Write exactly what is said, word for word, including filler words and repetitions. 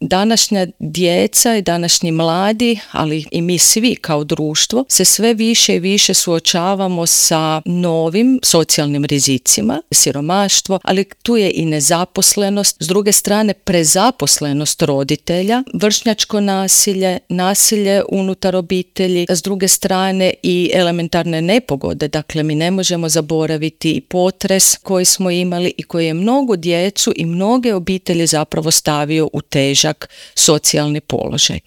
današnja djeca i današnji mladi, ali i mi svi kao društvo, se sve više i više suočavamo sa novim socijalnim rizicima, siromaštvo, ali tu je i nezaposlenost, s druge strane prezaposlenost roditelja, vršnjačko nasilje, nasilje unutar obitelji, s druge strane i elementarne nepogode. Dakle, mi ne možemo zaboraviti i potres koji smo imali i koji je mnogo djecu i mnoge obitelji zapravo stavio u težak socijalni položaj.